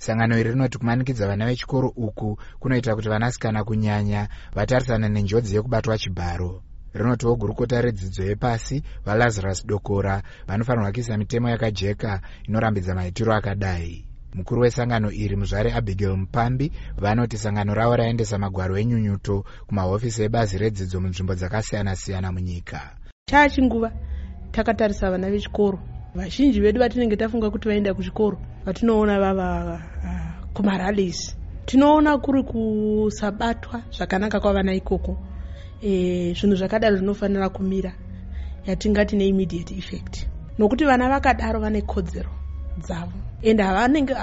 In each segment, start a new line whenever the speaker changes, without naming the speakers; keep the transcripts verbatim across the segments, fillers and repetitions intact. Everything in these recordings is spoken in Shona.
Sangano iri rinoti kumanikidza vana vechikoro uku kunoita kuti vanasikana kunyanya vatarisane nenjodzi yekubatwa chibharo. Rinotiwo gurukota redzidzo yepasi, VaLazarus Dokora, vanofanirwa kuisa mitemo yakajeka inorambidza maitiro akadai. Mukuru wesangano iri, Muzvare Abigail Mupambi, vanoti sangano ravo raendesa magwaro enyunyuto kumahofisi ebazi redzidzo munzvimbo dzakasiyana-siyana munyika.
Chaachinguva takatarisa vana vechikoro vazhinji vedu vatinenge tafunga kuti vaenda kuchikoro, vatinoona vava uh, kumarallies, tinoona kuri kusabatwa zvakanaka kwavana ikoko. e, zvinhu zvakadaro zvinofanira kumira, yatingati neimmediate effect, nokuti vana vakadaro vane kodzero dzavo, ende havanenge,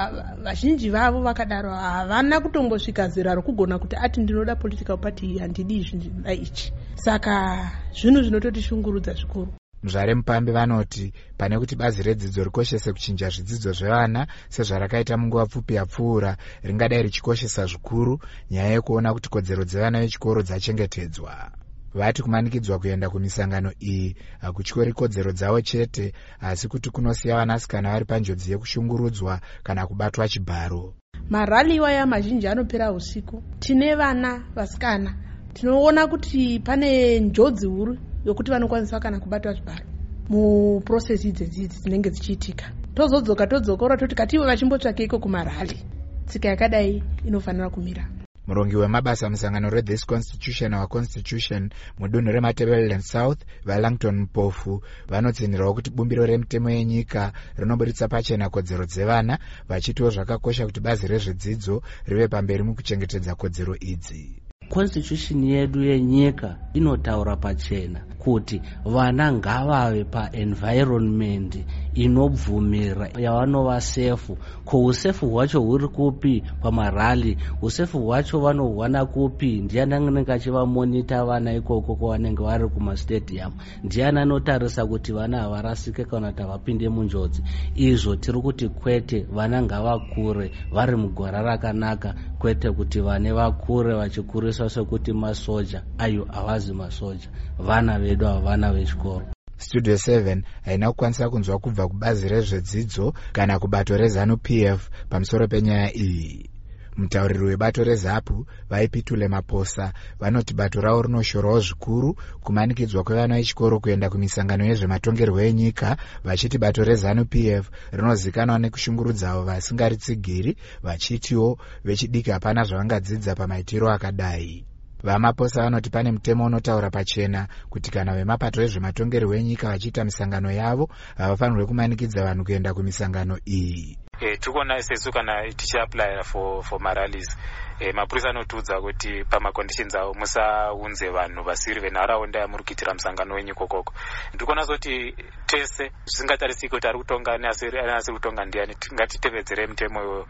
vazhinji vavo vakadaro havana kutombosvika zera rokugona kuti ati ndinoda political party iyi, handidi izvi, ndinoda ichi. Saka zvinhu zvinototishungurudza zvikuru.
Muzvare Mupambi vanoti pane kuti bazi redzidzo rikoshese kuchinja zvidzidzo zvevana sezvarakaita munguva pfupi yapfuura, ringadai richikoshesa zvikuru nyaya yekuona kuti kodzero dzevana vechikoro dzachengetedzwa. Vati kumanikidzwa kuenda kumisangano iyi hakutyori kodzero dzavo chete, asi kuti kunosiya vanasikana vari panjodzi yekushungurudzwa kana kubatwa chibharo.
Marally iwaya mazhinji anopera usiku. Tine vana vasikana, tinoona kuti pane njodzi huru yokuti vanokwanisa kana kubatwa zvibharo muprocess idzedzi idzi dzinenge dzichiitika. Tozodzoka todzokora toti kativo vachimbotsvakeiko kumarally. Tsika yakadai inofanira kumira.
Murongi wemabasa musangano reThis Constitution Our Constitution mudunhu reMatabeleland South, VaLangton Mpofu, vanotsinhirawo kuti bumbiro remitemo yenyika rinoburitsa pachena kodzero dzevana, vachitiwo zvakakosha kuti bazi rezvedzidzo rive pamberi mukuchengetedza kodzero idzi.
Constitution yedu yenyika inotaura pachena kuti vana ngavave paenvironment inobvumira yavanova safe. Ko usafe hwacho huri kupi pamarally? Usafe hwacho vanohwana kupi? Ndiani anenge achivamonitor vana ikoko kwavanenge vari kumastadium? Ndiani anotarisa kuti vana havarasike kana kuti havapinde munjodzi? Izvo tiri kuti kwete, vana ngavakure vari mugwara rakanaka, kwete kuti vane vakure vachikuriswa sekuti masoja. Ayo havazi masoja, vana vedu ava, vana vechikoro.
Studio seven haina kukwanisa kunzwa kubva kubazi rezvedzidzo kana kubato reZANU P F pamusoro penyaya iyi. Mutauriri webato reZAPU, VaIpitule Maposa, vanoti bato ravo rinoshorawo zvikuru kumanikidzwa kwevana vechikoro kuenda kumisangano yezvematongerwo enyika, vachiti bato reZANU P F rinozikanwa nekushungurudza avo vasingaritsigiri, vachitiwo vechidiki hapana zvavangadzidza pamaitiro akadai. VaMaposa vanoti pane mutemo unotaura pachena kuti kana vemapato ezvematongerwo enyika vachiita misangano yavo, havafanirwe kumanikidza vanhu kuenda kumisangano iyi.
e, tiri kuona sesu kana tichiapplya for, for marallies, e, mapurisa anotiudza kuti pamaconditions avo musaunze vanhu vasiri venharaunda yamuri kuitira musangano wenyu ikokoko. Ndiri kuona sekuti tese, zvisingatarisiki kuti ari kutonga neasiri kutonga ndiani, ngatitevedzere mutemo iwoyo.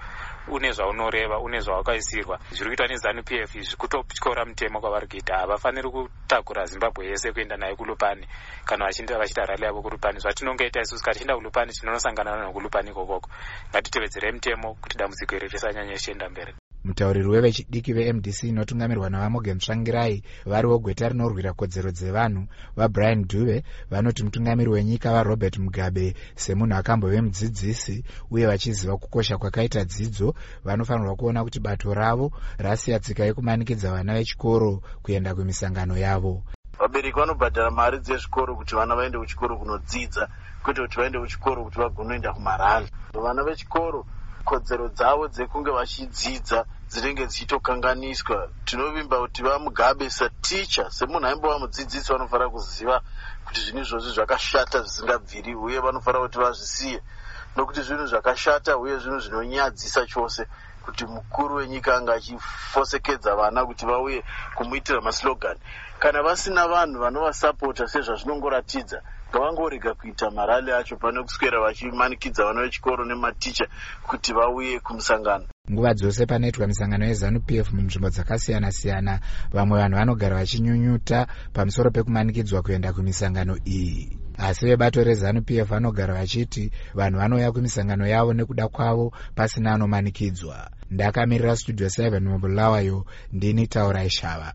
Une zvaunoreva, une zvawakaisirwa. Zviri kuitwa neZANU P F izvi kutotyora mutemo kwavari kuita. Havafaniri kutakura Zimbabwe yese kuenda nayo kuLupane kana vachiita rally yavo kuLupane. Zvatinongoita isusu kana tichienda kuLupane, tinonosangana navanhu kuLupane ikokoko. Ngatitevedzerei mutemo kuti dambudziko iri risanyanye richienda mberi.
Mutauriri wevechidiki veM D C inotungamirwa naVaMorgan Tsvangirai, variwo gweta rinorwira kodzero dzevanhu, VaBrian Dube, vanoti mutungamiri wenyika VaRobert Mugabe, semunhu akambove mudzidzisi uye vachiziva kukosha kwakaita dzidzo, vanofanirwa kuona kuti bato ravo rasiya tsika yekumanikidza vana vechikoro kuenda kumisangano yavo.
Vabereki vanobhadhara mari dzezvikoro kuti vana vaende kuchikoro kunodzidza, kwete kuti vaende kuchikoro kuti vagonoenda kumarally. Vana vechikoro kodzero dzavo dzekunge vachidzidza dzinenge dzichitokanganiswa. Tinovimba kuti VaMugabe saticha, semunhu aimbova mudzidzisi, vanofanira kuziva kuti zvinhu izvozvi zvakashata zvisingabviri, uye vanofanira kuti vazvisiye, nokuti zvinhu zvakashata uye zvinhu zvinonyadzisa chose kuti mukuru wenyika anga achifosekedza vana kuti vauye kumuitira maslogan. Kana vasina vanhu vanovasapota sezvazvinongoratidza, ngavangorega kuita marally acho pane kuswera vachimanikidza vana vechikoro nematicha kuti vauye kumusangano.
Nguva dzose panoitwa misangano yeZANU P F munzvimbo dzakasiyana-siyana, vamwe vanhu vanogara vachinyunyuta pamusoro pekumanikidzwa kuenda kumisangano iyi, asi vebato reZANU P F vanogara vachiti vanhu vanouya kumisangano yavo nekuda kwavo, pasina anomanikidzwa. Ndakamirira Studio seven muBulawayo, ndini Taurai Shava.